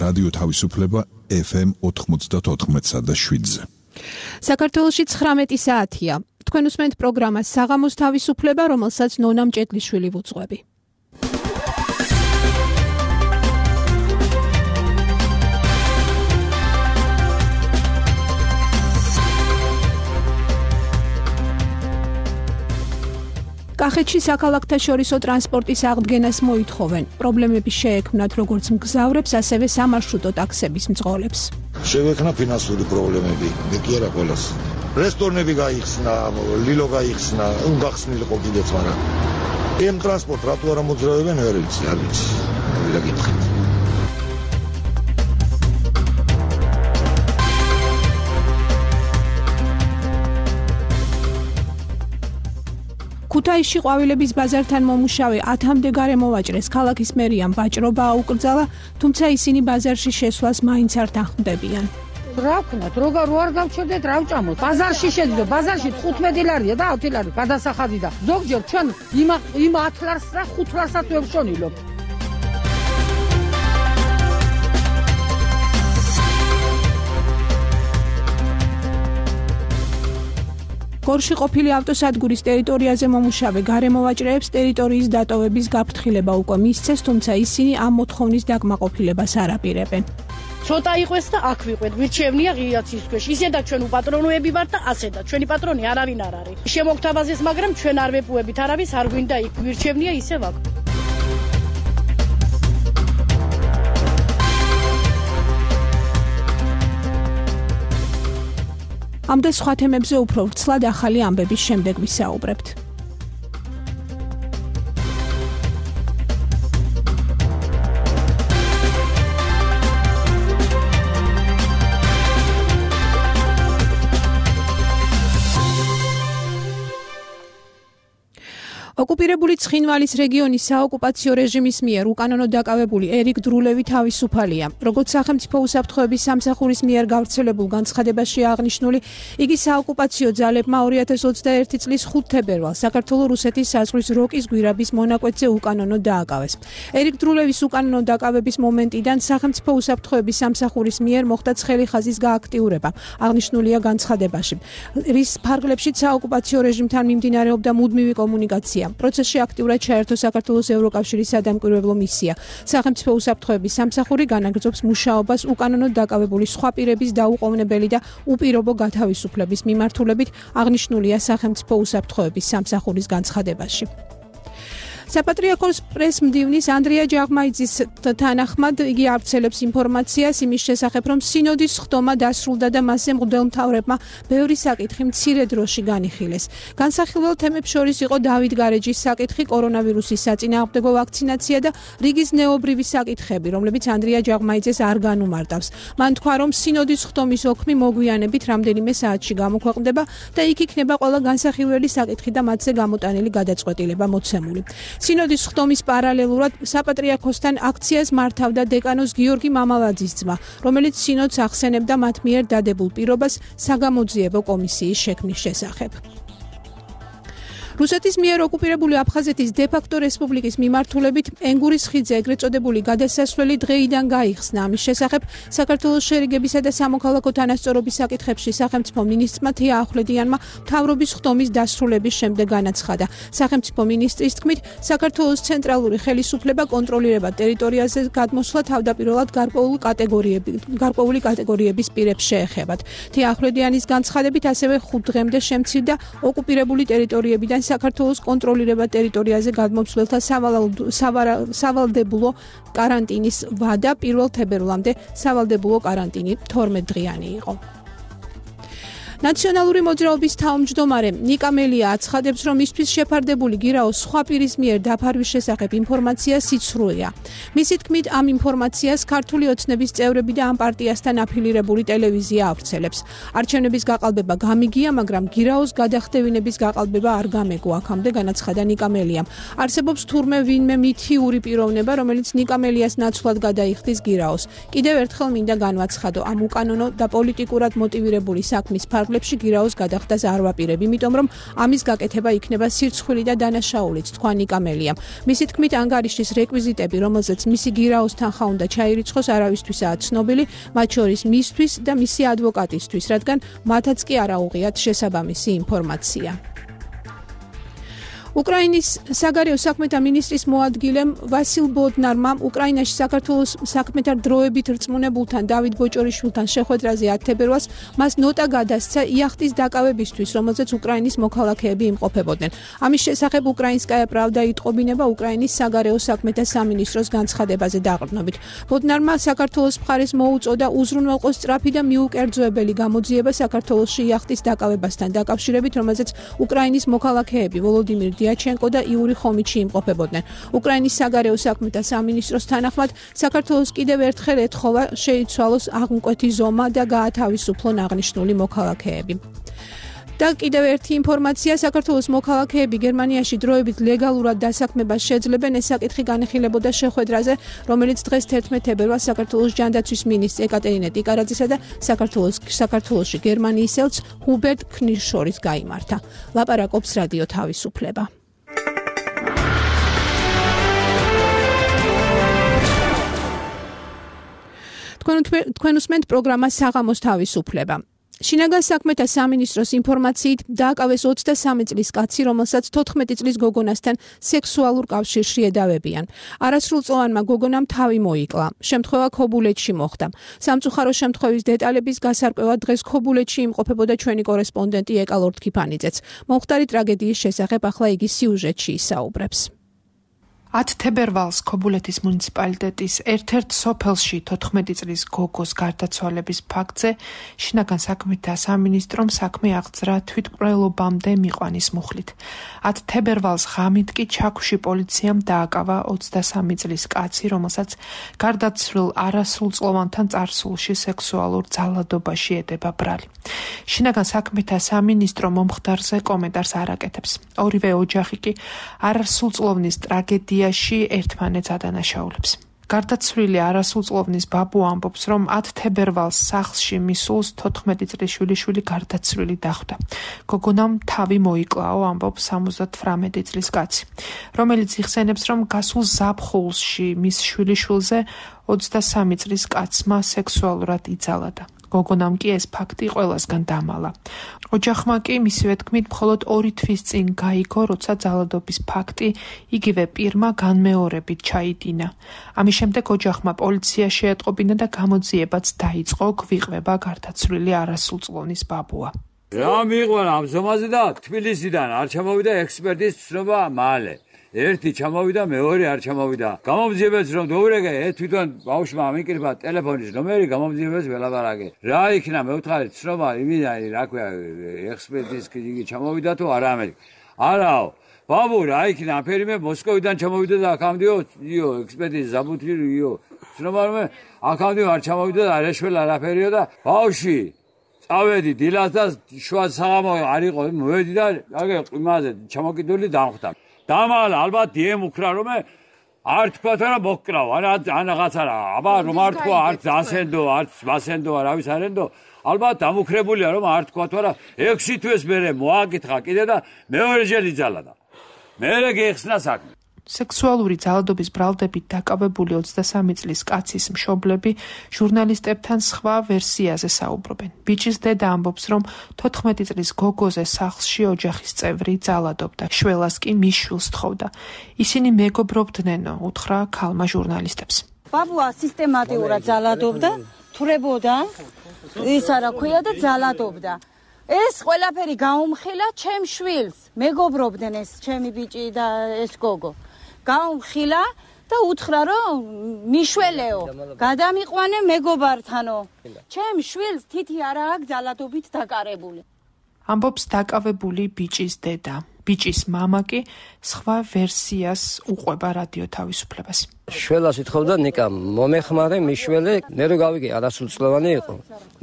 რადიო თავისუფლება FM 94.7-ზე. საქართველოში 19 საათია. თქვენ უსმენთ პროგრამას საღამოს თავისუფლება, რომელსაც ნონა მჭედლიშვილი ვუძღვები. კახეთში საქალაქთა შორისო ტრანსპორტის აღდგენას მოითხოვენ. პრობლემები შეექმნათ როგორც მგზავრებს, ასევე სამარშრუტო ტაქსების მძღოლებს. შევექმნა ფინანსური პრობლემები, მე კი არა ყველას. რესტორნები გაიხსნა, ლილო გაიხსნა, გახსნილიყო კიდეც, მაგრამ ამ ტრანსპორტ რატო არ მოძრავებენ, ვერ ვიცი, არ ვიცი. ვიდა გითხეთ. ქუთაისში ყვავილების ბაზართან მომუშავე 10-მდე გარემოვაჭრეს. ქალაქის მერიამ ვაჭრობა აუკრძალა, თუმცა ისინი ბაზარში შესვლას მაინც არ თანხმდებიან. რა ვქნათ, როგორ არ გავჩერდეთ, რა ვჭამოთ. ბაზარში შედიო, ბაზარში 15 ლარია და 10 ლარი გადასახადი და ზოგჯერ ჩვენ იმ 10 ლარს და 5 ლარსაც ვევშონილობ. გორში ყოფილი ავტოსადგურის ტერიტორიაზე მომუშავე გარემოვაჭრეებს ტერიტორიის დატოვების გაფრთხილება უკვე მისცეს, თუმცა ისინი ამ მოთხოვნის დაკმაყოფილებას არ აპირებენ. ცოტა იყვეს და აქ ვიყვეთ, გვირჩევნია ღიაცის ქვეშ. ისედაც ჩვენ უპატრონოები ვართ და ასედაც ჩვენი პატრონი არავინ არ არის. შემოგთავაზეს, მაგრამ ჩვენ არ ვეპუებით არავის, არ გვინდა იქ გვირჩევნია ისევ აქ. ამ და სხვა თემებზე უფრო ვრცლად ახალი ამბების შემდეგ ვისაუბრებთ. ოკუპირებული ცხინვალის რეგიონის საოკუპაციო რეჟიმის მიერ უკანონოდ დაკავებული ერიკ დრულევი თავისუფალია. როგორც სახელმწიფო უსაფრთხოების სამსახურის მიერ გავრცელებულ განცხადებაში აღნიშნული, იგი საოკუპაციო ძალებმა 2021 წლის 5 თებერვალს საქართველო-რუსეთის საზღვრის როკის გვირაბის მონაკვეთზე უკანონოდ დააკავეს. ერიკ დრულევის უკანონოდ დაკავების მომენტიდან სახელმწიფო უსაფრთხოების სამსახურის მიერ მოხდა ცხელი ხაზის გააქტიურება. აღნიშნულია განცხადებაში, რის ფარგლებშიც საოკუპაციო რეჟიმთან მიმდინარეობდა მუდმივი კომუნიკაცია. პროცესში აქტიურად ჩაერთო საქართველოს ევროკავშირის სადამკვირვებლო მისია. სახელმწიფო უსაფრთხოების სამსახური განაგრძობს მუშაობას უკანონოდ დაკავებული სხვა პირების დაუყოვნებელი და უპირობო გათავისუფლების მიმართულებით, აღნიშნულია სახელმწიფო უსაფრთხოების სამსახურის განცხადებაში. საპატრიარქოს პრეს-მდივნის ანდრია ჯაღმაიძის თანახმად იგი ავრცელებს ინფორმაციას იმის შესახებ, რომ სინოდის ხდომა დასრულდა და მასზე მღვდელმთავრებმა ბევრი საკითხი მცირე დროში განიხილეს. განსახილველ თემებს შორის იყო დავით გარეჯის საკითხი, კორონავირუსის საწინააღმდეგო ვაქცინაცია და რიგის ზნეობრივი საკითხები, რომლებიც ანდრია ჯაღმაიძეს არ განუმარტავს. მან თქვა, რომ სინოდის ხდომის ოქმი მოგვიანებით რამდენიმე საათში გამოქვეყნდება და იქ იქნება ყველა განსახილველი საკითხი და მათზე გამოტანილი გადაწყვეტილება მოცემული. სინოდის ხდომის პარალელურად საპატრიარქოსთან აქციას მართავდა დეკანოს გიორგი მამალაძის ძმა, რომელიც სინოდს ახსენებდა მათ მიერ დადებულ პირობას საგამოძიებო კომისიის შექმნის შესახებ. რუსეთის მიერ ოკუპირებული აფხაზეთის დე-ფაქტო რესპუბლიკის მიმართულებით ენგურის ხიდზე ეგრეთ წოდებული გადასასვლელი დღეიდან გაიხსნა. ამის შესახებ საქართველოს შერიგებისა და სამოქალაქო თანასწორობის საკითხებში სახელმწიფო მინისტრმა თია ახვლედიანმა მთავრობის ხდომის დასრულების შემდეგ განაცხადა. სახელმწიფო მინისტრის თქმით, საქართველოს ცენტრალური ხელისუფლება კონტროლირება ტერიტორიაზე გადმოსვლა თავდაპირველად გარკვეული კატეგორიების პირებს შეეხებათ. თია ახვლედიანის განცხადებით ასევე 5 დღემდე შემცირდა ოკუპირებული ტერიტორიებიდან საქართველოს კონტროლირება ტერიტორიაზე გადმოცვლელთა სავალდებულო კარანტინის ვადა 1 თებერვლამდე სავალდებულო კარანტინი 12 დღიანი იყო. ნაციონალური მოძრაობის თავმჯდომარე ნიკა მელია აცხადებს, რომ მისთვის შეფარდებული გირაოს სხვა პირის მიერ დაფარვის შესახებ ინფორმაცია სიცრუეა. მისი თქმით, ამ ინფორმაციას ქართული ოცნების წევრები და ამ პარტიასთან აფილირებული ტელევიზია ავრცელებს. არჩევნების გაყალბება გამიგია, მაგრამ გირაოს გადახდევინების გაყალბება არ გამეგო, აქამდე განაცხადა ნიკა მელიამ. არსებობს თურმე ვინმე მითიური პიროვნება, რომელიც ნიკა მელიას ნაცვლად გადაიხდის გირაოს. კიდევ ერთხელ მინდა განვაცხადო, ამ უკანონო და პოლიტიკურად მოტივირებული საქმის ფარგლებში სიახლეებში გირაოს გადახდას არ ვაპირებ, იმიტომ რომ ამის გაკეთება იქნება სირცხვილი და დანაშაულიც, თქვა ნიკა მელიამ. მისი თქმით, ანგარიშის რეკვიზიტები, რომელზეც მისი გირაოს თანხა უნდა ჩაირიცხოს, არავისთვისაა ცნობილი, მათ შორის მისთვის და მისი ადვოკატისთვის, რადგან მათაც კი არ აუღიათ შესაბამისი ინფორმაცია. უკრაინის საგარეო საქმეთა მინისტრის მოადგილემ ვასილ ბოდნარმა უკრაინაში საქართველოს საქმეთა დროებით რწმუნებულთან დავით ბოჭორიშვილთან შეხვედრაზე 10 თებერვალს მას ნოტა გადასცა იახტის დაკავებისთვის, რომელზეც უკრაინის მოქალაქეები იმყოფებოდნენ. ამის შესახებ უკრაინსკაია პრავდა იტყობინება უკრაინის საგარეო საქმეთა სამინისტროს განცხადებაზე დაყრდნობით. ბოდნარმა საქართველოს მხარეს მოუწოდა უზრუნველყოს სწრაფი და მიუკერძოებელი გამოძიება საქართველოში იახტის დაკავებასთან დაკავშირებით, რომელზეც უკრაინის მოქალაქეები ვოლოდიმირ დიაჩენკო და იური ხომიჩი იმყოფებოდნენ. უკრაინის საგარეო საქმეთა სამინისტროს თანახმად, საქართველოს კიდევ ერთხელ ეთხოვა შეიცვალოს აღმკვეთი ზომა და გაათავისუფლონ აღნიშნული მოქალაქეები. და კიდევ ერთი ინფორმაცია, საქართველოს მოქალაქეები გერმანიაში დროებით ლეგალურად დასაქმებას შეძლებენ, ეს საკითხი განიხილებოდა შეხვედრაზე, რომელიც დღეს 11 თებერვალს საქართველოს ჯანდაცვის მინისტრ ეკატერინე ტიკარაძისა და საქართველოში გერმანიის ელჩ ჰუბერტ ქნირს შორის გაიმართა. ლაპარაკობს რადიო თავისუფლება. თქვენ უსმენთ პროგრამა საღამოს თავისუფლება. შინაგან საქმეთა სამინისტროს ინფორმაციით დააკავეს 23 წლის კაცი, რომელსაც 14 წლის გოგონასთან სექსუალურ კავშირში ედავებიან. არასრულწლოვანმა გოგონამ თავი მოიკლა. შემთხვევა ქობულეთში მოხდა. სამწუხარო შემთხვევის დეტალების გასარკვევად დღეს ქობულეთში იმყოფებოდა ჩვენი კორესპონდენტი ეკა ლორთქიფანიძეც. მომხდარი ტრაგედიის შესახებ ახლა იგი სიუჟეტში ისაუბრებს. 10 თებერვალს ქობულეთის მუნიციპალიტეტის ერთ-ერთ სოფელში 14 წლის გოგოს გარდაცვალების ფაქტზე შინაგან საქმეთა სამინისტრომ საქმე აღძრა თვითმკვლელობამდე მიყვანის მუხლით. 10 თებერვალს ღამით კი ჩაქვში პოლიციამ დააკავა 23 წლის კაცი, რომელსაც გარდაცვლილ არასრულწლოვანთან წარსულში სექსუალურ ძალადობაში ედება ბრალი. შინაგან საქმეთა სამინისტრო მომხდარზე კომენტარს არ აკეთებს. ორივე ოჯახი კი არასრულწლოვნის ტრაგედია ერთმანეთს ადანაშაულებს. გარდაცვლილი არასრულწლოვნის ბაბუ ამბობს, რომ 10 თებერვალს სახლში მისულს 14 წლის შვილიშვილი გარდაცვლილი დახვდა. გოგონამ თავი მოიკლაო, ამბობს 78 წლის კაცი, რომელიც იხსენებს, რომ გასულ ზაფხულში მის შვილიშვილზე 23 წლის კაცმა სექსუალურად იძალადა. გოგონამ კი ეს ფაქტი ყველასგან დამალა. ოჯახმა კი მისივე თქმით მხოლოდ 2 თვის წინ გაიგო, როცა ძალადობის ფაქტი იგივე პირმა განმეორებით ჩაიდინა. ამის შემდეგ ოჯახმა პოლიცია შეეტყობინა და გამოძიებაც დაიწყო, გვიყვება გარდაცვლილი არასრულწლოვნის ბაბუა. რა მიიყვანა ამ ზომაზე და თბილისიდან არ ჩამოვიდა ექსპერტის ცნობა მალე. ერთი ჩამოვიდა, მეორე არ ჩამოვიდა. გამომძიებელს რომ დაურეკე, თვითონ ბავშვმა ამიკრიბა ტელეფონის ნომერი, გამომძიებელს ველაპარაკე. რა იქნა მეუთხარი ცნობა, იმენა, რა ქვია, ექსპერტის იგი ჩამოვიდა თუ არა ამერიკა. არაო. ბაბუ რა იქნა, აფერიმე მოსკოვიდან ჩამოვიდა და აქამდეო, ექსპერტის ზაბუთიო. ცნობა რომ აქამდეო არ ჩამოვიდა და არაშველა არაფერიო და ბავშვი წავედი დილას და შუა საღამო არ იყო, მოვედი და აგე იმაზე ჩამოკიდული დამხვდა. დამალა ალბათ დიემ უკრა რომ არ თქვა რა მოკრავ ან რაღაცა რა აბა რომ არ თქვა არც ასენდო არც მასენდო არავის არენდო ალბათ დამუქრებულია რომ არ თქვა რა 6 თვის მერე მოაკითხა კიდე და მეორე ჯერ იძალა და მერე გეხსნა საქმე. სექსუალური ძალადობის ბრალდებით დაკავებული 23 წლის კაცის მშობლები ჟურნალისტებთან სხვა ვერსიაზე საუბრობენ. ბიჭის დედა ამბობს, რომ 14 წლის გოგოზე სახლში ოჯახის წევრი ძალადობდა, შველას კი მის შვილს თხოვდა. ისინი მეგობრობდნენო, უთხრა ქალმა ჟურნალისტებს. ბაბუა სისტემატურად ძალადობდა, თვრებოდა, ის არა ქვია და ძალადობდა. ეს ყველაფერი გაუმხილა ჩემ შვილს, მეგობრობდნენ ეს ჩემი ბიჭი და ეს გოგო. გაუმხილა და უთხრა რომ მიშველეო, გადამიყვანე მეგობართანო. ჩემ შვილს თითი არა აქვს ძალადობით დაკარებული. ამბობს დაკავებული ბიჭის დედა. ბიჭის მამა კი სხვა ვერსიას უყვება რადიო თავისუფლებას. შველას ითხოვდა ნიკა, მომეხმარე მიშველე, მე რო გავიგე არასრულწლოვანი იყო.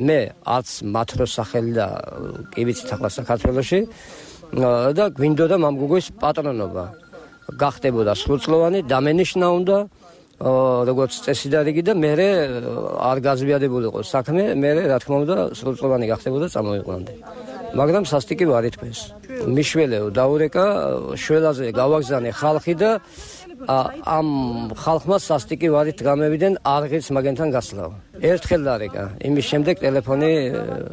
მე არც მათრო სახელი და კი ვიცით ახლა საქართველოში და გვინდოდა მამგუგოს პატრონობა. გახდებოდა სრულწლოვანი, დამენიშნა უნდა როგორც წესი და რიგი და მე არ გაზვიადებულიყო საქმე, მე რა თქმა უნდა სრულწლოვანი გახდებოდა წამოიყვანდი. მაგრამ სასტიკი ვარ ითქვეს. მიშველეო დაურეკა, შველაზე გავაგზავნე ხალხი და ამ ხალხმა სასტიკი ვარით გამევიდნენ არღიც მაგენთან გასვლაო. ერთხელ დარეკა, იმის შემდეგ ტელეფონი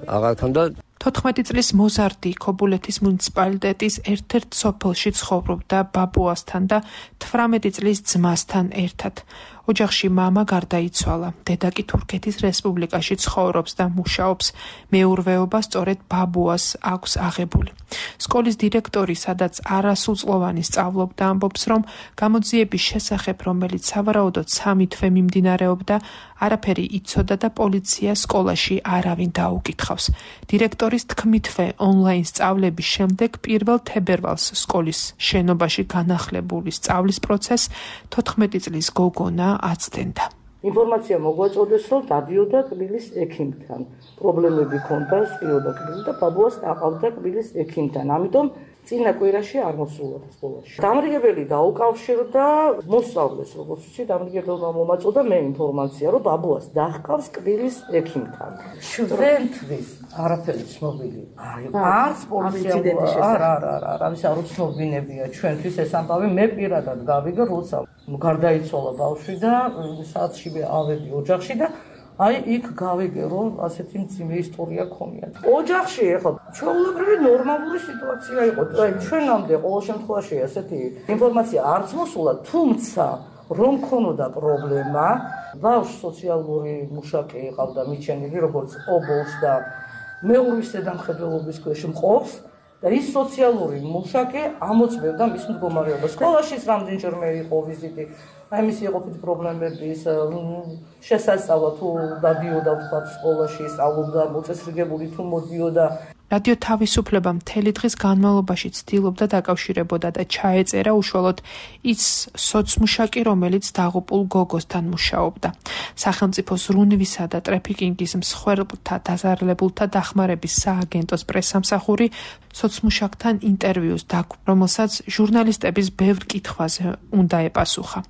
აღარ ქონდა. 14 წლის მოზარდი ქობულეთის მუნიციპალიტეტის ერთ-ერთ სოფელში ცხოვრობდა ბაბუასთან და 18 წლის ძმასთან ერთად. ოჯახში მამა გარდაიცვალა, დედა კი თურქეთის რესპუბლიკაში ცხოვრობს და მუშაობს. მეურვეობა სწორედ ბაბუას აქვს აღებული. სკოლის დირექტორი, სადაც არასრულწლოვანი სწავლობდა, ამბობს, რომ გამოძიების შესახებ, რომელიც სავარაუდოდ 3 თვე მიმდინარეობდა, არაფერი იცოდა და პოლიცია სკოლაში არავინ დაუკითხავს. დირექტორის თქმითვე ონლაინ სწავლების შემდეგ 1 თებერვალს სკოლის შენობაში განახლებული სწავლის პროცესს 14 წლის გოგონა აცდენდა. ინფორმაცია მოგვაწოდეს, რომ დადიოდა კბილის ექიმთან. პრობლემები ჰქონდა სპიოდა კბილი და ბაბუას დაყავდა კბილის ექიმთან. ამიტომ წინა კვირაში არ მოსულა სკოლაში. დამრიგებელი დაუკავშირდა მოსწავლეს, როგორც ვიცი, დამრიგებელმა მომაწოდა მე ინფორმაცია, რომ ბაბუას დაჰყავს კბილის ექიმთან. ჩვენთვის არაფერი ცნობილი. არც პოლიცია არ უცნობინებია ჩვენთვის ეს ამბავი. მე პირადად გავიგე, როცა გარდაიცვალა ბავშვი და საათში ავედი ოჯახში და აი იქ გავიგე, რომ ასეთი მძიმე ისტორია ქონია. ოჯახში ეხლა ჩვეულებრივი ნორმალური სიტუაცია იყო. ჩვენამდე ყოველ შემთხვევაში ასეთი ინფორმაცია არც მოსულა, თუმცა რომ ქონოდა პრობლემა, ბავშვს სოციალური მუშაკი იყავდა მიჩენილი, როგორც ობოლს და მეურვის ზედამხედველობის ქვეშ მყოფს და ის სოციალური მუშაკი ამოწმებდა მის მდგომარეობას. სკოლაშიც რამდენჯერმე იყო ვიზიტი. აი მისი ეყოფით პრობლემების შესასწავლა თუ დადიოდა თქვა სკოლაში სწავლობდა, მოწესრიგებული თუ მოდიოდა. რადიო თავისუფლება მთელი დღის განმავლობაში ცდილობდა დაკავშირებოდა და ჩაეწერა უშუალოდ ის სოცმუშაკი, რომელიც დაღუპულ გოგოსთან მუშაობდა. სახელმწიფო ზრუნვისა და ტრაფიკინგის მსხვერპლთა დაზარალებულთა დახმარების სააგენტოს პრესსამსახური სოცმუშაკთან ინტერვიუს დაგუპა, რომელსაც ჟურნალისტების ბევრ კითხვაზე უნდა ეპასუხა.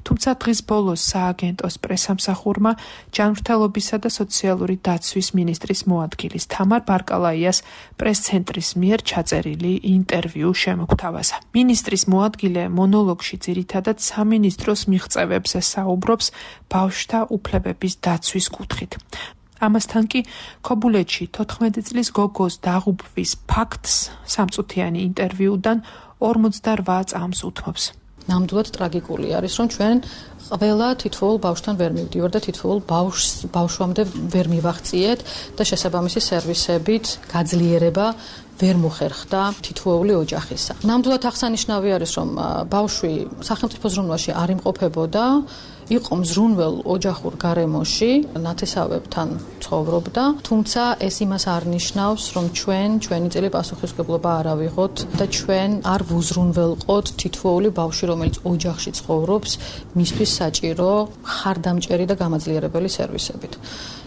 თუმცა დღის ბოლოს სააგენტოს პრესსამსახურმა ჯანმრთელობისა და სოციალური დაცვის მინისტრის მოადგილის თამარ ბარკალაიას პრეს-ცენტრის მიერ ჩაწერილი ინტერვიუ შემოგთავაზა. მინისტრის მოადგილე მონოლოგში ძირითადად სამინისტროს მიღწევებზე საუბრობს ბავშვთა უფლებების დაცვის კუთხით. ამასთან კი ქობულეთში 14 წლის გოგოს დაღუპვის ფაქტს სამწუთიანი ინტერვიუდან 48 წამს უთმობს. ნამდვილად ტრაგიკული არის, რომ ჩვენ ყველა თითოეულ ბავშვთან ვერ მივდივარ და თითოეულ ბავშვამდე ვერ მივაღწიეთ და შესაბამისი სერვისებით გაძლიერება ვერ მოხერხდა თითოეული ოჯახისა. ნამდვილად აღსანიშნავი არის, რომ ბავშვი სახელმწიფო ზრუნვაში არ იმყოფებოდა, იყო მზრუნველ ოჯახურ გარემოში, ნათესავებთან ცხოვრობდა, თუმცა ეს იმას არ ნიშნავს, რომ ჩვენი წელი პასუხისმგებლობა არ ავიღოთ და ჩვენ არ ვუზრუნველყოთ თითოეული ბავშვი, რომელიც ოჯახში ცხოვრობს, მისთვის საჭირო ხარდამჭერი და გამაძლიერებელი სერვისებით.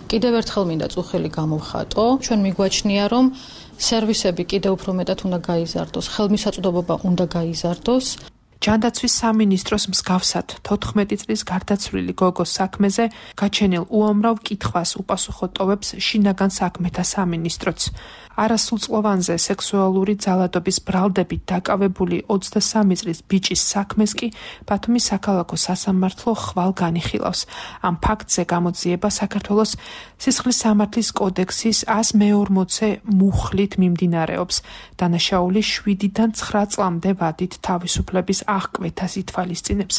კიდევ ერთხელ მინდა წუხელი გამოვხატო, ჩვენ მიგვაჩნია, რომ სერვისები კიდევ უფრო მეტად უნდა გაიზარდოს, ხელმისაწვდომობა უნდა გაიზარდოს. ჯანდაცვის სამინისტროს მსგავსად 14 წლის გარდაცვლილი გოგოს საქმეზე გაჩენილ უამრავ კითხვას უპასუხო ტოვებს შინაგან საქმეთა სამინისტროც. არასრულწლოვანზე სექსუალური ძალადობის ბრალდებით დაკავებული 23 წლის ბიჭის საქმეს კი ბათუმის საქალაქო სასამართლო ხვალ განიხილავს. ამ ფაქტზე გამოძიება საქართველოს სისხლის სამართლის კოდექსის 140 მუხლით მიმდინარეობს. დანაშაული 7-დან 9 წლამდე ვადით თავისუფლების აღკვეთას ითვალისწინებს.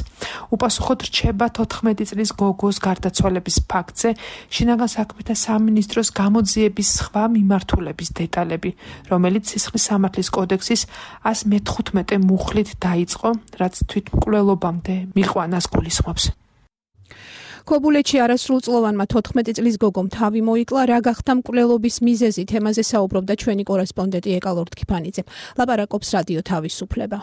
უპასუხოდ რჩება 14 წლის გოგოს გარდაცვალების ფაქტზე შინაგან საქმეთა სამინისტროს გამოძიების სხვა მიმართულების დეტალები, რომელიც სისხლის სამართლის კოდექსის 115 მუხლით დაიწყო, რაც თვითმკვლელობამდე მიყვანას გულისხმობს. ქობულეთში არასრულწლოვანმა 14 წლის გოგომ თავი მოიკლა, რა გახდა მკვლელობის მიზეზი, თემაზე საუბრობდა ჩვენი კორესპონდენტი ეკალორდ ქიფანიძე. ლაპარაკობს რადიო თავისუფლება.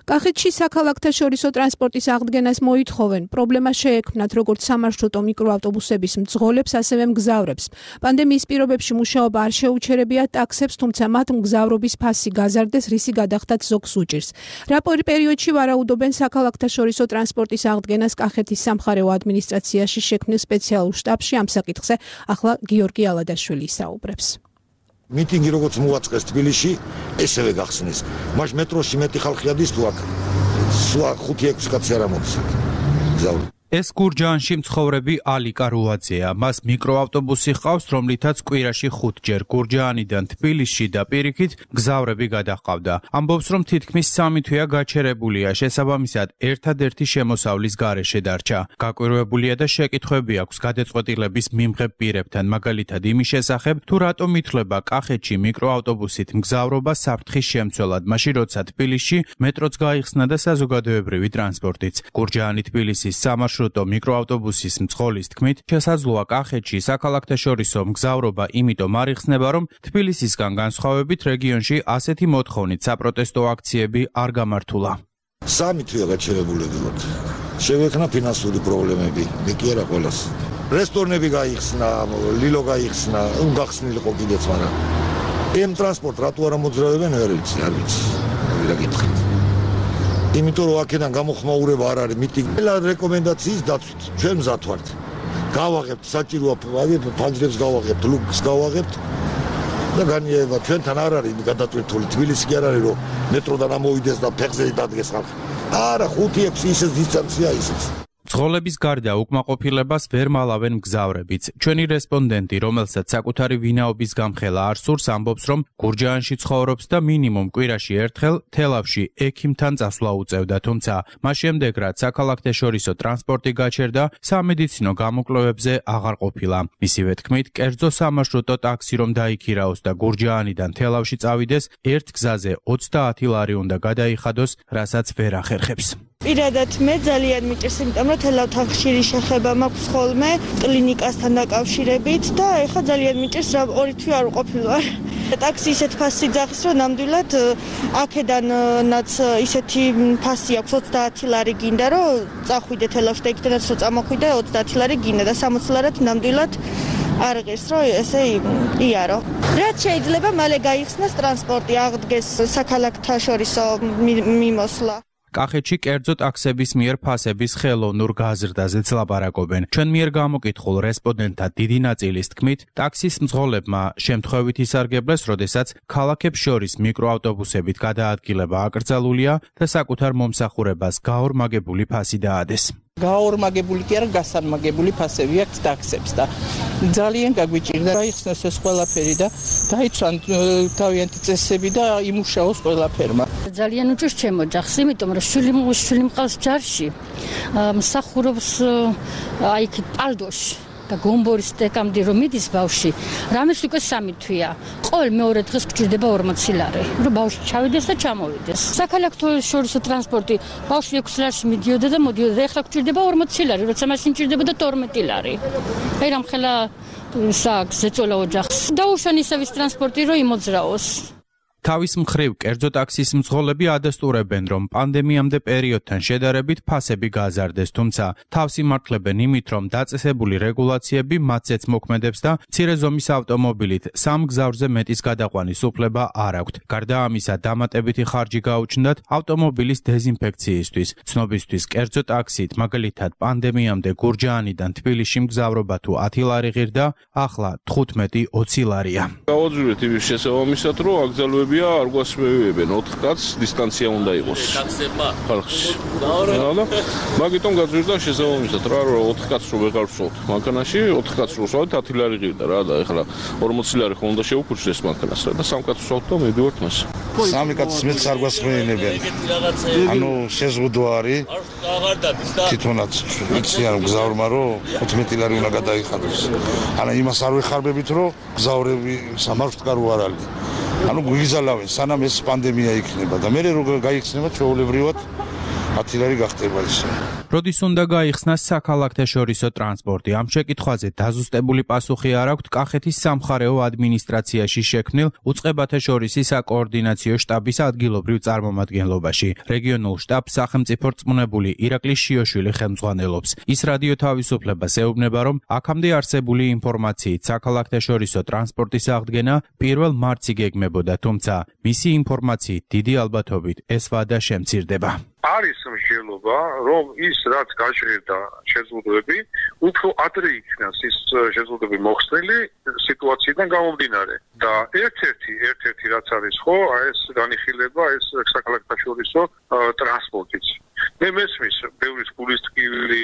კახეთში საქალაქთაშორისო ტრანსპორტის აღდგენას მოითხოვენ. პრობლემა შეექმნათ როგორც სამარშრუტო მიკროავტობუსების მძღოლებს, ასევე მგზავრებს. პანდემიის პირობებში მუშაობა არ შეუჩერებია ტაქსებს, თუმცა მათ მგზავრობის ფასი გაზარდეს, რისი გადახდათ ზოგს უჭირს. რა პერიოდში ვარაუდობენ საქალაქთაშორისო ტრანსპორტის აღდგენას კახეთის სამხარეო ადმინისტრაციაში შექმნილ სპეციალურ შტაბში ამ საკითხზე ახლა გიორგი ალადაშვილი ისაუბრებს. მიტინგი როგორც მოაწყეს თბილისში, ესევე გახსნეს. მას მეტროში მეტი ხალხი ადის თუ აქ 5-6 კაცი არ ამოდის. გზავრი. ეს გურჯაანში მცხოვრები ალიკა რუაძეა. მას მიკროავტობუსი ჰყავს, რომლითაც კვირაში 5-ჯერ გურჯაანიდან თბილისში და პირიქით მგზავრები გადაჰყავდა. ამბობს, რომ თითქმის 3 თვეა გაჩერებულია, შესაბამისად ერთადერთი შემოსავლის გარეშე დარჩა. გაკვირვებულია და შეკითხვები აქვს გადაწყვეტილების მიმღებ პირებთან, მაგალითად იმის შესახებ, თუ რატომ ითვლება კახეთში მიკროავტობუსით მგზავრობა საფრთხის შემცველად, მაშინ როცა თბილისში მეტროც გაიხსნა და საზოგადოებრივი ტრანსპორტიც. გურჯაანი თბილისის სამარშრუტო მიკროავტობუსის მძღოლის თქმით, შესაძლოა კახეთში საქალაქთაშორისო მგზავრობა იმიტომ არ იხსნება, რომ თბილისისგან განსხვავებით რეგიონში ასეთი მოთხოვნით საპროტესტო აქციები არ გამართულა. 3 თვეა გაჩერებულები ვართ. შევექნა ფინანსური პრობლემები, მე კი არა ყველას. რესტორნები გაიხსნა, ლილო გაიხსნა, უგახსნილიყო კიდეც, მაგრამ ამ ტრანსპორტ რატო არ მოძრაობენ ვერ ვიცი, არ ვიცი. ვირა გითხეთ. იმიტომ რომ აქედან გამოხმაურება არ არის მიტინგი. ყველა რეკომენდაციის დაცვით ჩვენ მზად ვართ. გავაღებთ საჭიროა ფანჯრებს გავაღებთ, ლუკს გავაღებთ და განიერება ჩვენთან არ არის გადატვირთული. თბილისი კი არ არის რომ მეტროდან ამოვიდეს და ფეხზე დადგეს ხალხი. არა 5-6 ისე დისტანცია ისიც. მძღოლების გარდა უკმაყოფილებას ვერ მალავენ მგზავრებიც. ჩვენი რესპონდენტი, რომელსაც საკუთარი ვინაობის გამხელა არ სურს, ამბობს, რომ გურჯაანში ცხოვრობს და მინიმუმ კვირაში ერთხელ თელავში ექიმთან წასვლა უწევდა, თუმცა მას შემდეგ რაც საქალაქთაშორისო ტრანსპორტი გაჩერდა, სამედიცინო გამოკვლევებზე აღარ ყოფილა. მისივე თქმით, კერძო სამარშრუტო ტაქსი რომ დაიქირაოს და გურჯაანიდან თელავში წავიდეს, ერთ გზაზე 30 ლარი უნდა გადაიხადოს, რასაც ვერ ახერხებს. პირადად მე ძალიან მიჭირს, იმიტომ რომ თელავთან ხშირი შეხება მაქვს ხოლმე კლინიკასთან დაკავშირებით და ეხლა ძალიან მიჭირს, რა 2 თვე არ ვყოფილვარ. ტაქსი ისეთ ფასი ძახის, რომ ნამდვილად აქედანაც ისეთი ფასი აქვს 30 ლარი გინდა, რომ წახვიდე თელავში და იქიდანაც რომ წამოხვიდე 30 ლარი გინდა და 60 ლარად ნამდვილად არ ღირს, რომ ესე იარო. რაც შეიძლება მალე გაიხსნას ტრანსპორტი, აღდგეს საქალაქთაშორისო მიმოსვლა. კახეთში კერძო ტაქსების მიერ ფასების ხელოვნურ გაზრდაზეც ლაპარაკობენ. ჩვენ მიერ გამოკითხულ რესპონდენტთა დიდი ნაწილის თქმით, ტაქსის მძღოლებმა შემთხვევით ისარგებლეს, როდესაც ქალაქებს შორის მიკროავტობუსებით გადაადგილება აკრძალულია და საკუთარ მომსახურებას გაორმაგებული ფასი დაადეს. გაორმაგებული კი არა, გასარმაგებული ფასები აქვს ტაქსებს და ძალიან გაგვიჭირდა გაიხსნას ეს ყველაფერი და დაიცვან თავიანთი წესები და იმუშაოს ყველაფერმა. ძალიან უჭირს ჩემო ოჯახს, იმიტომ რომ შვილი მყავს ჯარში, მსახურობს აი იქ პალდოში და გომბორის სტეკამდე რომ მიდის ბავში, რამეს უკვე 3 თვეა. ყოველ მეორე დღეს გჭირდება 40 ლარი, რომ ბავშვი ჩავიდეს და ჩამოვიდეს. საქალაქთაშორისო ტრანსპორტი ბავშვი 6 ლარში მიდიოდა და მოდიოდა და ეხლა გჭირდება 40 ლარი, როცა მაშინ ჭირდებოდა 12 ლარი. აი რამხელა საქმე ზეწოლა ოჯახს. დაუშვან ისევის ტრანსპორტი რომ იმოძრაოს. თავის მხრივ კერძო ტაქსის მძღოლები ადასტურებენ, რომ პანდემიამდე პერიოდთან შედარებით ფასები გაზარდეს, თუმცა თავს იმართლებენ იმით, რომ დაწესებული რეგულაციები მათზეც მოქმედებს და მცირე ზომის ავტომობილით 3 გზავრზე მეტის გადაყვანის უფლება არ აქვთ. გარდა ამისა, დამატებითი ხარჯი გაუჩნდათ ავტომობილის დეზინფექციისთვის. ცნობისთვის კერძო ტაქსით, მაგალითად პანდემიამდე გურჯაანიდან თბილისში მგზავრობა თუ 10 ლარი ღირდა, ახლა 15-20 ლარია. გავაძვირეთ იმის შესაბამისად, რომ აკრძალვები არ გვასმევებენ 4 კაცს დისტანცია უნდა იყოს ხალხში. მაგიტომ გაძვირდა შესაბამისად რა რომ 4 კაცს რო ვეღარ ვსვათ მანქანაში 4 კაცს რო ვსვათ 10 ლარი ღირდა რა და ეხლა 40 ლარი ხომ უნდა შევუქურჩდეს მანქანას რა და 3 კაცს ვსვათ და მივიდივართ მას. 3 კაცს მეც არ გვასმევებენ. ანუ შეზღუდვა არის. თვითონაც იცი არ გზავრმა რომ 15 ლარი უნდა გადაიხადოს. ანუ იმას არ ვეხარბებით რომ გზავრები სამარშრუტკარო არ არის. ანუ გვიგზალავენ სანამ ეს პანდემია იქნება და მე რო გაიხსნება ჩვეულებრივად 10 ლარი გახდება ისე. როდის უნდა გაიხსნას საქალაქთაშორისო ტრანსპორტი? ამ შეკითხვაზე დაზუსტებული პასუხი არ აქვს კახეთის სამხარეო ადმინისტრაციაში შექმნილ უწყებათა შორისი საკოორდინაციო შტაბის ადგილობრივ წარმომადგენლობაში. რეგიონულ შტაბს სახელმწიფო რწმუნებული ირაკლი შიოშვილი ხელმძღვანელობს. ის რადიო თავისუფლებას ეუბნება, რომ აქამდე არსებული ინფორმაციით საქალაქთაშორისო ტრანსპორტის აღდგენა 1 მარტს იგეგმებოდა, თუმცა მისი ინფორმაციით დიდი ალბათობით ეს ვადა შემცირდება. არის მსჯელობა, რომ ის რაც გაჟღერდა შეზღუდვები, უფრო ადრე იქნას ის შეზღუდვები მოხსნილი სიტუაციიდან გამომდინარე. და ერთ-ერთი რაც არის ხო, ეს განიხილება ეს საქალაქთაშორისო ტრანსპორტიც. მე მესმის ბევრის გულისწყლი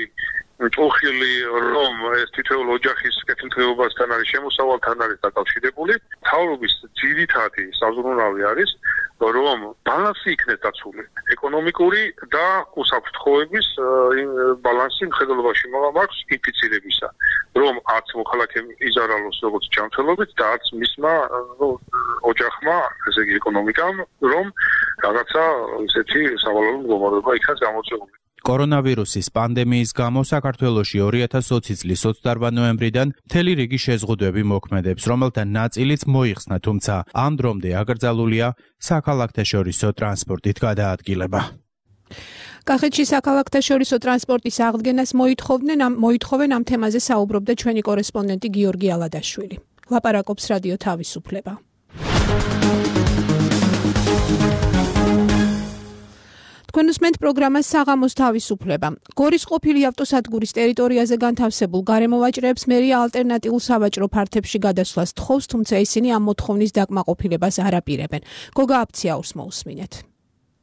ჭოხილი რომ ეს თითოეულ ოჯახის კეთილდღეობასთან არის შემოსავალთან არის დაკავშირებული. მთავრობის ძირითადი საზრუნავი არის რომ ბალანსი იქნეს დაცული. ეკონომიკური და უსაფრთხოების ბალანსი მხედველობაში მაქვს ინფიცირებისა. რომ არც მოქალაქე იზარალოს როგორც ჯანმრთელობით და არც მისმა ოჯახმა, ესე იგი ეკონომიკამ, რომ რაღაცა ისეთი სავალალო მდგომარეობა იქნას გამოწვეული. კორონავირუსის პანდემიის გამო საქართველოში 2020 წლის 28 ნოემბრიდან მთელი რიგი შეზღუდვები მოქმედებს, რომელთა ნაწილიც მოიხსნა, თუმცა ამ დრომდე აკრძალულია საქალაქთაშორისო ტრანსპორტით გადაადგილება. კახეთში საქალაქთაშორისო ტრანსპორტის აღდგენას მოითხოვენ ამ თემაზე საუბრობდა ჩვენი კორესპონდენტი გიორგი ალადაშვილი. ლაპარაკობს რადიო თავისუფლება. თქვენ უსმენთ პროგრამას საღამოს თავისუფლება. გორის ყოფილი ავტოსადგურის ტერიტორიაზე განთავსებულ გარემოვაჭრეებს მერია ალტერნატიულ სავაჭრო ფართებში გადასვლას თხოვს, თუმცა ისინი ამ მოთხოვნის დაკმაყოფილებას არ აპირებენ. გოგა აფციაურს მოусმინეთ.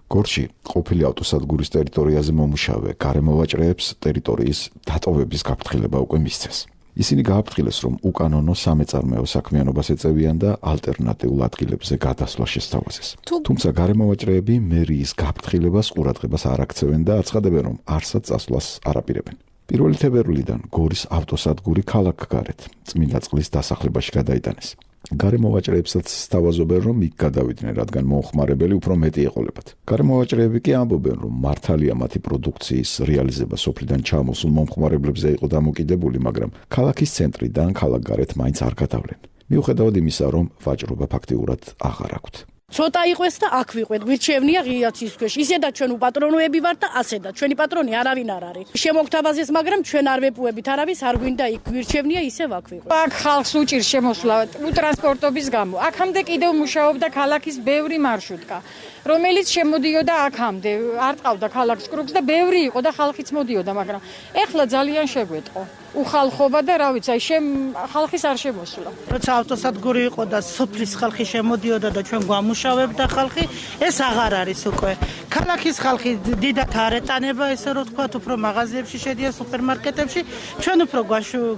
გორში ყოფილი ავტოსადგურის ტერიტორიაზე მომუშავე გარემოვაჭრეებს ტერიტორიის დატოვების გაფრთხილება უკვე მისცეს. ისინი გააფრთხილეს, რომ უკანონო სამეწარმეო საქმიანობას ეწევიან და ალტერნატიულ ადგილებზე გადასვლა შესთავაზეს. თუმცა გარემოვაჭრეები მერიის გაფრთხილებას ყურადღებას არ აქცევენ და აცხადებენ, რომ არსად წასვლას არ აპირებენ. 1 თებერვლიდან გორის ავტოსადგური ქალაქგარეთ წმინდა წყლის დასახლებაში გადაიტანეს. გარემოვაჭრეებსაც სთავაზობენ, რომ იქ გადავიდნენ, რადგან მომხმარებელი უფრო მეტი ეყოლებათ. გარემოვაჭრეები კი ამბობენ, რომ მართალია მათი პროდუქციის რეალიზება სოფლიდან ჩამოსულ მომხმარებლებზე იყო დამოკიდებული, მაგრამ ქალაქის ცენტრიდან ქალაქგარეთ მაინც არ გადავლენ. მიუხედავად იმისა, რომ ვაჭრობა ფაქტიურად აღარ აქვთ. ცოტა იყვეს და აქ ვიყვეთ. გვირჩევნია ღიაცის ქვეშ. ისედაც ჩვენ უპატრონოები ვართ და ასედაც. ჩვენი პატრონი არავინ არ არის. შემოგთავაზეს, მაგრამ ჩვენ არ ვეპუებით არავის, არ გვინდა იქ გვირჩევნია ისევ აქ ვიყვეთ. აქ ხალხს უჭირს შემოსვლა ტრანსპორტობის გამო. აქამდე კიდევ მუშაობდა ქალაქის ბევრი მარშრუტკა, რომელიც შემოდიოდა აქამდე. არ ტყავდა ქალაქს კრუგს და ბევრი იყო და ხალხიც მოდიოდა, მაგრამ ეხლა ძალიან შეგვეტყო. უხალხობა და რა ვიცი, ხალხის არ შემოსულა. როცა ავტოსადგური იყო და სოფლის ხალხი შემოდიოდა და ჩვენ გვამუშავებდა ხალხი, ეს აღარ არის უკვე. ქალაქის ხალხი დიდათ არ ეტანება, ესე რომ თქვა, უფრო მაღაზიებში შედიან, სუპერმარკეტებში, ჩვენ უფრო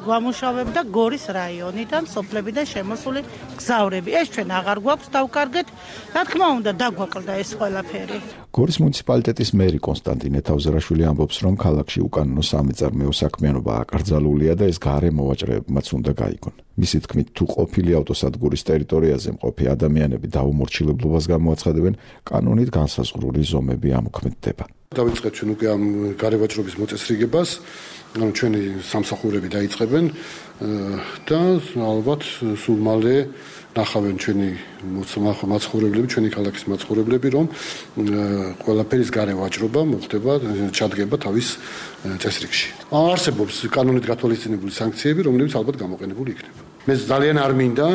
გვამუშავებდა გორის რაიონიდან, სოფლებიდან შემოსული გზავრები. ეს ჩვენ აღარ გვაქვს დავკარგეთ, რა თქმა უნდა, დაგვაკლდა ეს ყველაფერი. გორის მუნიციპალიტეტის მერი კონსტანტინე თავზერაშვილი ამბობს, რომ ქალაქში უკანონო სამეწარმეო საქმიანობა აკრძალულია და ეს გარემოვაჭრეებმაც უნდა გაიგონ. მისი თქმით, თუ ყოფილი ავტოსადგურის ტერიტორიაზე მყოფი ადამიანები დაუმორჩილებლობას გამოაცხადებენ, კანონით განსაზღვრული ზომები ამოქმედდება. დავიწყეთ ჩვენ უკვე ამ გარემოვაჭრობის მოწესრიგებას, ანუ ჩვენი სამსახურები დაიწყებენ და ალბათ სულ მალე ნახავენ ჩვენი მაცხოვრებლები, ჩვენი ქალაქის მაცხოვრებლები, რომ ყველაფერის გარემოვაჭრობა მოხდება, ჩადგება თავის წესრიგში. არსებობს კანონით გათვალისწინებული სანქციები, რომლებიც ალბათ გამოყენებული იქნება. მე ძალიან არ მინდა,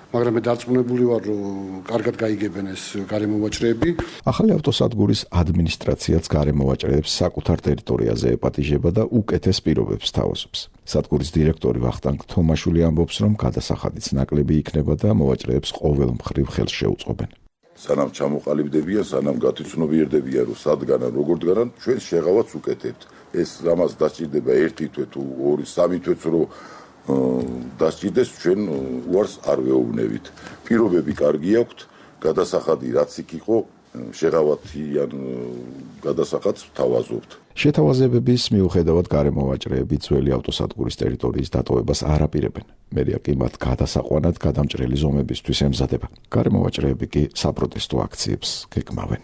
მაგრამ მე დარწმუნებული ვარ, რომ კარგად გაიგებენ ეს გარემოვაჭრეები. ახალი ავტოსადგურის ადმინისტრაციაც გარემოვაჭრეებს საკუთარ ტერიტორიაზე ეპატიჟება და უკეთეს პირობებს თავაზობს. სადგურის დირექტორი ვახტანგ თომაშვილი ამბობს, რომ გადასახადიც ნაკლები იქნება და მოვაჭრეებს ყოველ მხრივ ხელს შეუწყობენ. სანამ ჩამოყალიბდებიან, სანამ გათვითცნობიერდებიან, რომ სადგან ან როგორ დგანან, ჩვენ შეღავაც უკეთებთ. ეს ამას დასჭირდება 1 თვე თუ 2-3 თვეც რომ დასჭირდეს, ჩვენ უარს არ ვეუბნებით. პირობები კარგი აქვთ, გადასახადი რაც იქ იყო, შეღავათი ან გადასახადს ვთავაზობთ. შეთავაზებების მიუხედავად გარემოვაჭრეები ძველი ავტოსადგურის ტერიტორიის დატოვებას არ აპირებენ. მერია კი მათ გადასაყვანად გადამჭრელი ზომებისთვის ემზადება. გარემოვაჭრეები კი საპროტესტო აქციებს გეგმავენ.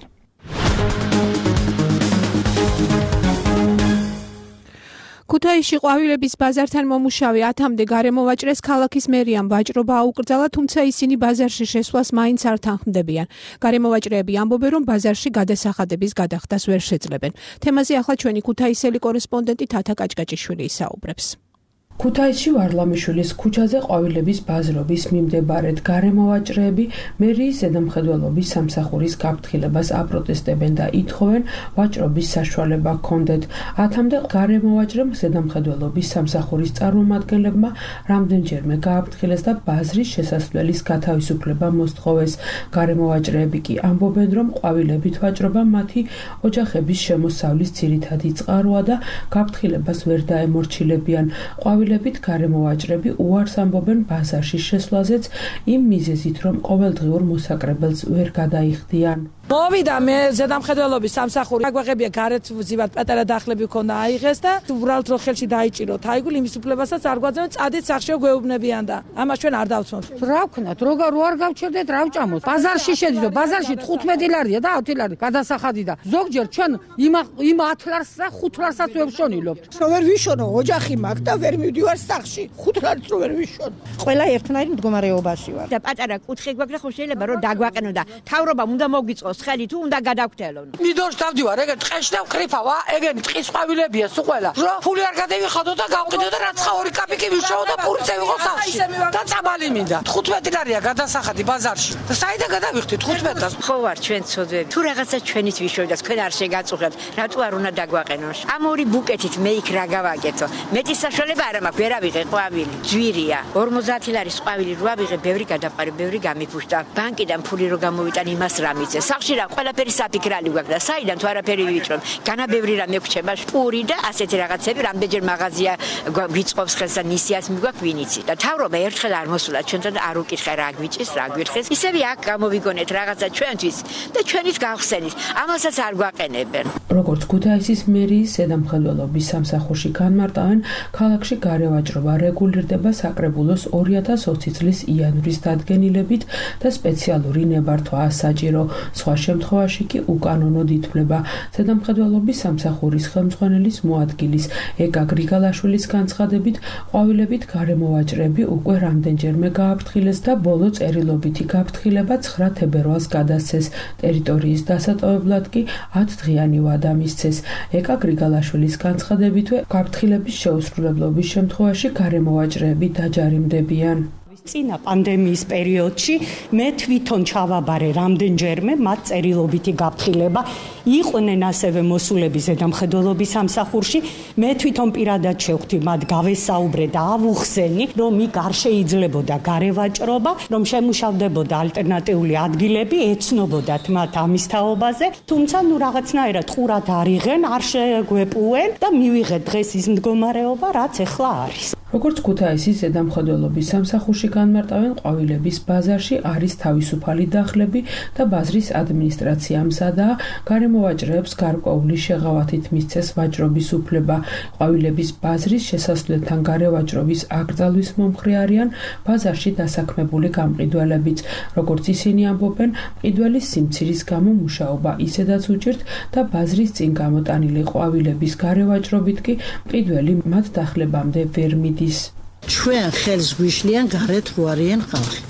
ქუთაისში ყვავილების ბაზართან მომუშავე 10-მდე გარემოვაჭრეს ქალაქის მერიამ ვაჭრობა აუკრძალა, თუმცა ისინი ბაზარში შესვლას მაინც არ თანხმდებიან. გარემოვაჭრეები ამბობენ, რომ ბაზარში გადასახადების გადახდას ვერ შეძლებენ. თემაზე ახლა ჩვენი ქუთაისელი კორესპონდენტი თათა კაჭკაჭიშვილი ისაუბრებს. ქუთაისში ვარლამიშვილის ქუჩაზე ყვავილების ბაზრობის მიმდებარედ გარემოვაჭრეები მერიის ზედამხედველობის სამსახურის გაფრთხილებას აპროტესტებენ და ითხოვენ ვაჭრობის საშუალება ჰქონდეთ. 10-მდე გარემოვაჭრემ ზედამხედველობის სამსახურის წარმომადგენლებმა რამდენჯერმე გააფრთხილეს და ბაზრის შესასვლელის გათავისუფლება მოსთხოვეს. გარემოვაჭრეები კი ამბობენ, რომ ყვავილებით ვაჭრობა მათი ოჯახების შემოსავლის ძირითადი წყაროა და გაფრთხილებას ვერ დაემორჩილებიან. ყვავილებით გარემოვაჭრები უარს ამბობენ ბაზარში შესვლაზეც იმ მიზეზით, რომ ყოველდღიურ მოსაკრებელს ვერ გადაიხდიან. მოვიდა მე ზედამხედველობის სამსახური აგვაღებია გარეთ ვზივად პატარა დახლები ქონდა აიღეს და უბრალოდ რო ხელში დაიჭიროთ აიგული იმის უფლებასაც არ გვაძლევენ წადით სახშეო გვეუბნებიან და ამას ჩვენ არ დავცნობთ. რა ვქნათ რო არ გავჩერდეთ რა ვჭამოთ ბაზარში შედიდო ბაზარში 15 ლარია და 10 ლარი გადასახადი და ზოგჯერ ჩვენ იმ 10 ლარს და 5 ლარსაც ვეშონილობთ. რო ვერ ვიშონო ოჯახი მაქვს და ვერ მივდივარ სახში 5 ლარს რო ვერ ვიშონო. ყველა ერთნაირი მდგომარეობაში ვარ. და პატარა კუთხე გვაქვს და ხო შეიძლება რომ დაგვაყენო და თავრობამ უნდა მოგვიწყოს ხელი თუ უნდა გადავქთელონ. მიდორს დავდივარ, ეგ ტყეში და ვკრიფავა, ეგენი ტყის ყვავილებია სულ ყველა. რო ფული არ გადავიხადო და გავყიდო და რაც ხა 2 კაპიკი ვიშოვო და პურცე ვიღო სახში. და წამალი მინდა. 15 ლარია გადასახადი ბაზარში. და საიდან გადავიხდი 15-ს? ხო ვარ ჩვენ ცოდვები. თუ რაღაცა ჩვენით ვიშოვდა, თქვენ არ შეგაწუხებთ. რატო არ უნდა დაგვაყენოს? ამ 2 ბუკეტით მე იქ რა გავაკეთო? მეტი საშუალება არ მაქვს, ვერ ავიღე ყვავილი. ძვირია. 50 ლარის ყვავილი რო ავიღე, ბევრი გადაყარე, ბევრი გამიფუშტა. ბანკიდან ფული რო გამოვიტან იმას რა მიწე. სახში რა ყველაფერი საფიქრალი გვაქვს და საიდან თუ არაფერი ვიჭრობ. განა ბევრი რამე გვჩება, პური და ასეთი რაღაცები, რამდენჯერ მაღაზია გვიწყობს ხელს და ნისიას მიგვაქვს ვინიცი. და თავრობა ერთხელ არ მოსულა ჩვენთან არ უკითხე რა გვიჭის, რა გვირხეს. ისევ აქ გამოვიგონეთ რაღაცა ჩვენთვის და ჩვენით გავხსენით. ამასაც არ გვაყენებენ. როგორც ქუთაისის მერიის ზედამხედველობის სამსახურში განმარტავენ, ქალაქში გარევაჭრობა რეგულირდება საკრებულოს 2020 წლის იანვრის დადგენილებით და სპეციალური ნებართვაა საჭირო. სხვა შემთხვევაში კი უკანონოდ ითვლება. ზედამხედველობის სამსახურის ხელმძღვანელის მოადგილის ეკა გრიგალაშვილის განცხადებით, ყვავილებით გარემოვაჭრები უკვე რამდენჯერმე გააფრთხილეს და ბოლო წერილობითი გაფრთხილება 9 თებერვალს გადასცეს. ტერიტორიის დასატოვებლად კი 10 დღიანი ვადა მისცეს. ეკა გრიგალაშვილის განცხადებითვე გაფრთხილების შეუსრულებლობის შემთხვევაში გარემოვაჭრეები დაჯარიმდებიან. წინა პანდემიის პერიოდში მე თვითონ ჩავაბარე რამდენჯერმე მათ წერილობითი გაფრთხილება იყვნენ ასევე მოსულები ზედამხედველობის სამსახურში მე თვითონ პირადად შევხვდი მათ გავესაუბრე და ავუხსენი რომ იქ არ შეიძლებოდა გარევაჭრობა რომ შემუშავდებოდა ალტერნატიული ადგილები ეცნობოდათ მათ ამის თაობაზე თუმცა ნუ რაღაცნაირად ყურად არიღენ არ შეგვეპუენ და მივიღეთ დღეს ის მდგომარეობა რაც ეხლა არის. როგორც ქუთაისის ზედამხედველობის სამსახურში განმარტავენ, ყვავილების ბაზარში არის თავისუფალი დახლები და ბაზრის ადმინისტრაცია მზადაა გარემოვაჭრეებს გარკვეული შეღავათით მისცეს ვაჭრობის უფლება. ყვავილების ბაზრის შესასვლელთან გარევაჭრობის აკრძალვის მომხრე არიან ბაზარში დასაქმებული გამყიდველებიც. როგორც ისინი ამბობენ, მყიდველის სიმცირის გამო მუშაობა ისედაც უჭირთ და ბაზრის წინ გამოტანილი ყვავილების გარევაჭრობით კი მყიდველი მათ დახლებამდე ვერ მიდის. ჩვენ ხელს გვიშლიან გარეთ რო არიან ხალხი.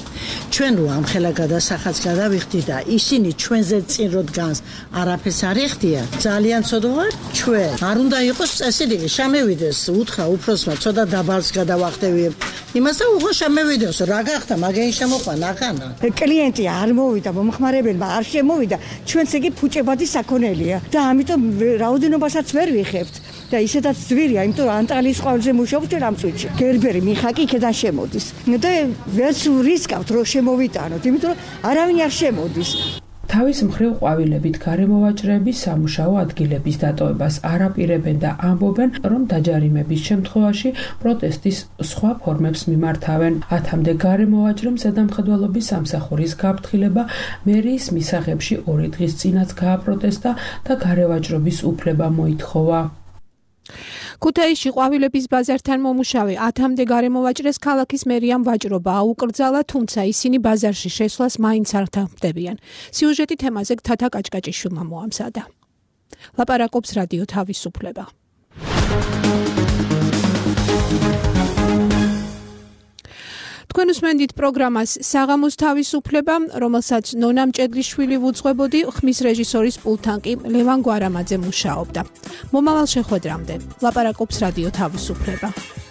ჩვენ რო ამ ხელა გადასახადს გადავიხდი და ისინი ჩვენზე წინ რო დგანს არაფერს არ ეხდიან. ძალიან ცოდო ვარ ჩვენ. არ უნდა იყოს წესი, შემევიდეს უთხრა უფროსმა ცოტა დაბალს გადავახტევიებ. იმას და უღო შემევიდეს რა გახდა მაგენი შემოყვა ნახანა. კლიენტი არ მოვიდა, მომხმარებელმა არ შემოვიდა, ჩვენც იგი ფუჭებადი საქონელია და ამიტომ რაოდენობასაც ვერ ვიხებთ. და ისედაც ძვირია, იმიტომ რომ ანტალის ყვავილზე მუშაობთ ამ წუთში. გერბერი მიხაკი იქიდან შემოდის. და ვერც რისკავთ რომ შემოვიტანოთ, იმიტომ რომ არავინ არ შემოდის. თავის მხრივ ყვავილებით გარემოვაჭრეები სამუშაო ადგილების დატოვებას არ აპირებენ და ამბობენ, რომ დაჯარიმების შემთხვევაში პროტესტის სხვა ფორმებს მიმართავენ. 10-მდე გარემოვაჭრემ ზედამხედველობის სამსახურის გაფრთხილება მერიის მისაღებში 2 დღის წინაც გააპროტესტა და გარევაჭრობის უფლება მოითხოვა. ქუთაისში ყვავილების ბაზართან მომუშავე 10-მდე გარემოვაჭრეს ქალაქის მერიამ ვაჭრობა აუკრძალა, თუმცა ისინი ბაზარში შესვლას მაინც არ თანხმდებიან. სიუჟეტი თემაზე თათა კაჭკაჭიშვილმა მოამზადა. ლაპარაკობს რადიო თავისუფლება. თქვენ უსმენთ პროგრამას საღამოს თავისუფლება, რომელსაც ნონა მჭედლიშვილი ვუძღვებოდი, ხმის რეჟისორის პულტთან კი ლევან გვარამაძე მუშაობდა. მომავალ შეხვედრამდე ლაპარაკობს რადიო თავისუფლება.